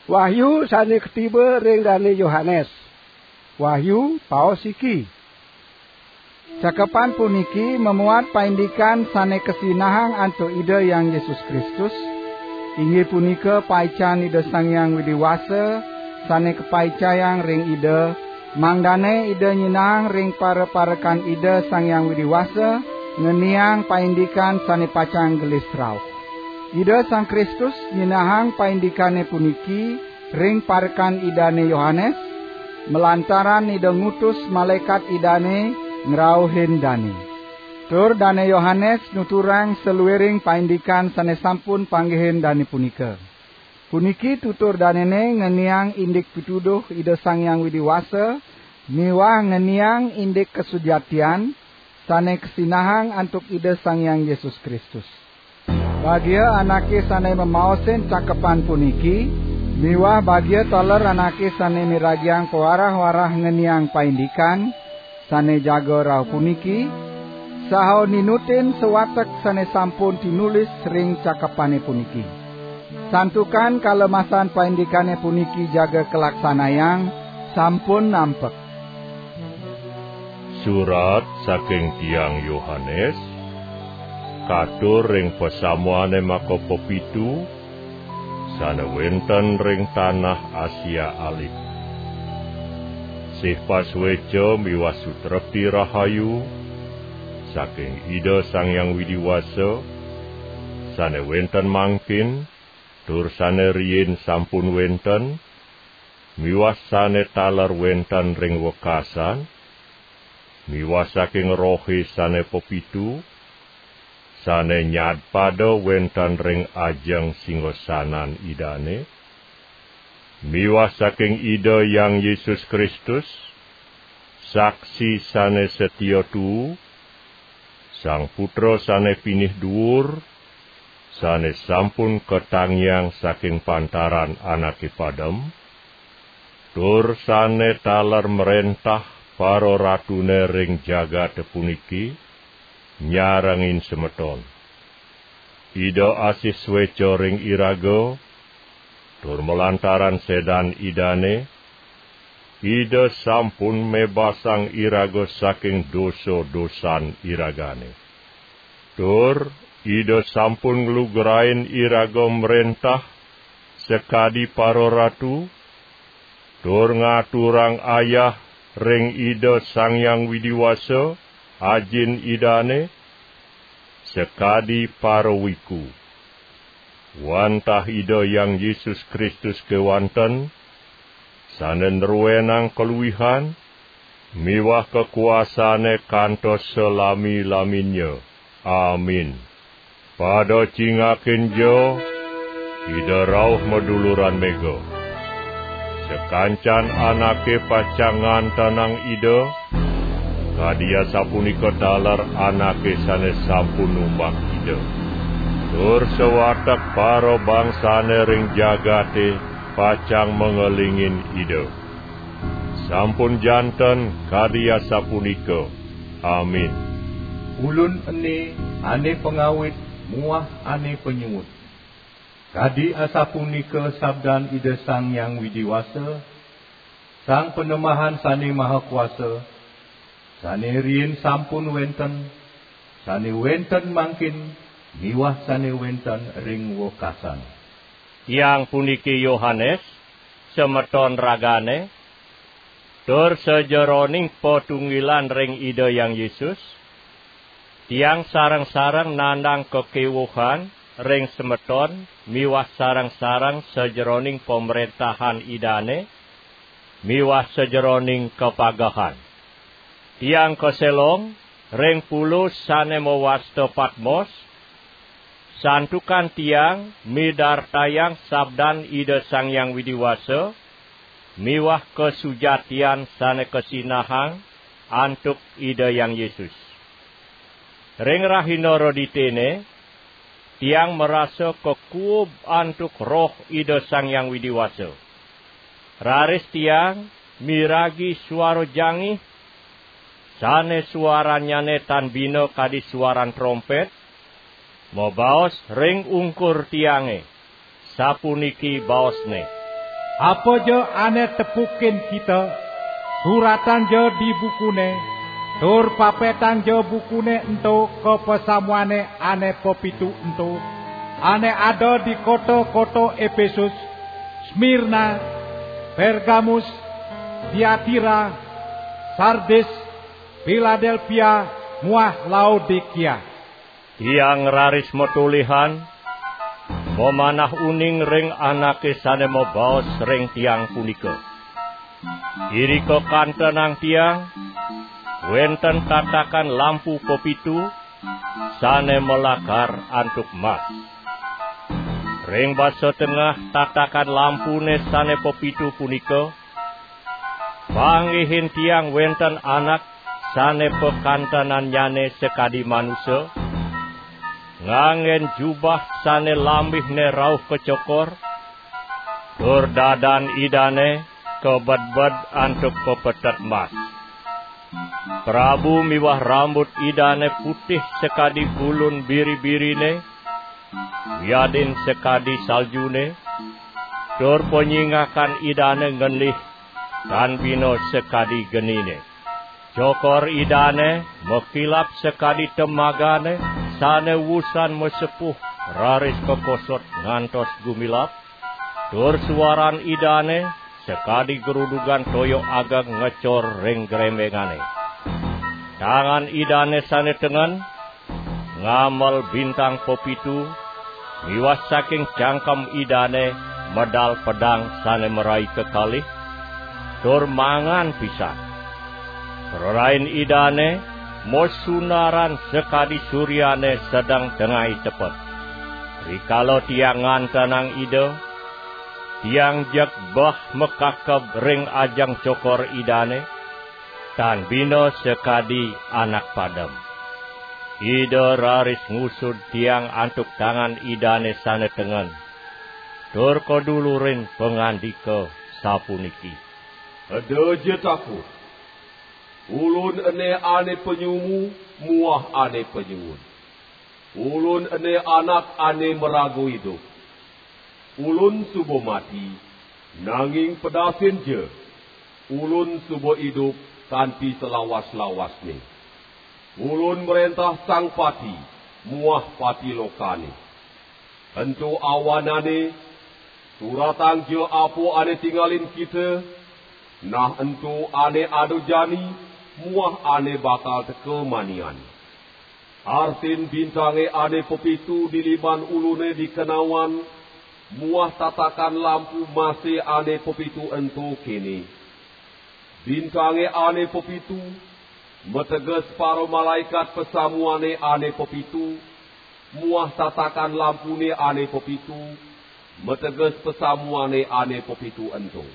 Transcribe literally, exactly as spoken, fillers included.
Wahyu sane ketiba ring Dane Yohanes. Wahyu, paos siki. Cakepan puniki mamuat paindikan sane kasinahang antuk Ida Hyang Yesus Kristus, inggih punika paican Ida Sang Hyang Widi Wasa sane kapaicayang ring Ida, mangdane Ida nyinahang ring para-parekan Ida Sang Hyang Widi Wasa ngeniang paindikan sane pacang gelis rauh. Ida Sang Kristus nyinahang paindikane puniki ring parekan Idane Yohanes, malantaran Ida ngutus malaekat Idane ngrauhin dane. Tur Dane Yohanes nuturang saluiring paindikan sane sampun panggihin dane punika. Puniki tutur danene ngeniang indik pituduh Ida Sang Hyang Widi Wasa miwah ngeniang indik kasujatian sane kasinahang antuk Ida Sang Hyang Yesus Kristus. Bagia anake sane mamaosin cakepan puniki, miwah bagia taler anake sane miragiang pawarah-warah ngeniang paindikan sane jaga rauh puniki, saha ninutin sawatek sane sampun tinulis ring cakepane puniki. Santukan kalemasan paindikane puniki jaga kalaksanayang, sampun nampek. Surat saking tiang Yohanes, katur ring pasamuane maka pepitu, sane wenten ring tanah Asia Alit. Sih pasueca miwah sutrepti rahayu saking Ida Sang Hyang Widi Wasa, sane wenten mangkin, tur sane riin sampun wenten, miwah sane taler wenten ring wekasan, miwah saking Rohe sane pepitu, sane nyadpada wenten ring ajeng singasanan Idane, miwah saking Ida Hyang Yesus Kristus, saksi sane satia tuu, Sang Putra sane pinih duur, sane sampun katangiang saking pantaran anake padem, tur sane taler mrentah pararatune ring jagate puniki, nyarengin semeton. Ida asih sueca ring iraga, tur malantaran sedan Idane, Ida sampun mebasang iraga saking dosa-dosan iragane. Tur Ida sampun nglugrain iraga mrentah sakadi pararatu, tur ngaturang ayah ring Ida Sang Hyang Widi Wasa, Ajin Idane, sakadi parawiku. Wantah Ida Hyang Yesus Kristus kewanten, sane nruenang kaluihan miwah kakuasane kantos salami-laminnya. Amin. Pada cingakin ja, Ida rauh maduluran mega. Sakancan anake pacang ngantenang Ida, kadi asapunika taler anake sane sampun numbak Ida. Tur sawatek parabangsane ring jagate pacang mangelingin Ida. Sampun janten kadi asapunika. Amin. Ulun ene ane pangawit muah ane panyuud. Kadi asapunika sabdan Ida Sang Hyang Widi Wasa, Sang Panembahan Sane Maha Kuasa, sane riin sampun wenten, sane wenten mangkin, miwah sane wenten ring wekasan. Tiang puniki Yohanes, semeton ragane, tur sajeroning patunggilan ring Ida Hyang Yesus, tiang sareng-sareng nandang kakewuhan ring semeton miwah sareng-sareng sajeroning pamrentahan Idane miwah sajeroning kapagehan. Tiang kaselong ring pulo sane mawasta Patmos, santukan tiang midartayang sabdan Ida Sang Hyang Widi Wasa miwah kasujatian sane kasinahang antuk Ida Hyang Yesus. Ring rahina Reditene, tiang marasa kakuub antuk Roh Ida Sang Hyang Widi Wasa. Raris tiang miragi suara jangih, sane suarannyane tan bina kadi suaran trompet, mabaos ring ungkur tiange, sapuniki baosne: Apaja ane tepukin kita, suratangja di bukune, tur papetangja bukune ento ka pasamuane ane pepitu ento, ane ada di kota-kota Epesus, Smirna, Pergamus, Tiatira, Sardis, Piladelpia, muah Laodikia. Tiang raris matulihan, mamanah uning ring anake sane mabaos ring tiang punika. Irika kantenang tiang, wenten tatakan lampu pepitu, sane malakar antuk mas. Ring basa tengah tatakan lampune sane pepitu punika, panggihin tiang wenten anak sane pakantenannyane sakadi manusa, nganggen jubah sane lambihne rauh kacokor, tur dadan Idane kabedbed antuk pepetet mas. Prabu miwah rambut Idane putih sakadi bulun biri-birine, wiadin sakadi saljune, tur panyingakan Idane ngendih tan bina sakadi genine. Cokor Idane makilap sakadi temagane sane wusan masepuh raris kakosot ngantos gumilap, tur suaran Idane sakadi grudugan toya ageng ngecor ring grembengane. Tangan Idane sane tengen ngamel bintang pepitu, miwah saking cangkem Idane medal pedang sane marai kekalih, tur mangan pisan. Prarain Idane masunaran sakadi suryane sedeng tengai tepet. Rikala tiang ngantenang Ida, tiang jeg bah makakeb ring ajeng cokor Idane, tan bina sakadi anak padem. Ida raris ngusud tiang antuk tangan Idane sane tengen, tur kadulurin pangandika sapuniki: Eda ja takut. Ulun ene ane panyumu muah ane panyuud. Ulun ene anak ane maraga idup. Ulun suba mati, nanging pedasin ja. Ulun suba idup kanti salawas-lawasne. Ulun mrentah Sang Pati muah Pati Lokane. Ento awanane, suratang ja apa ane tingalin kita, nah ento ane ada jani muah ane bakal teka manian. Artin bintange ane pepitu di liman ulune di kenawan, muah tatakan lampu mase ane pepitu ento kene: Bintange ane pepitu, mateges para malaikat pasamuane ane pepitu, muah tatakan lampune ane pepitu, mateges pasamuane ane pepitu ento.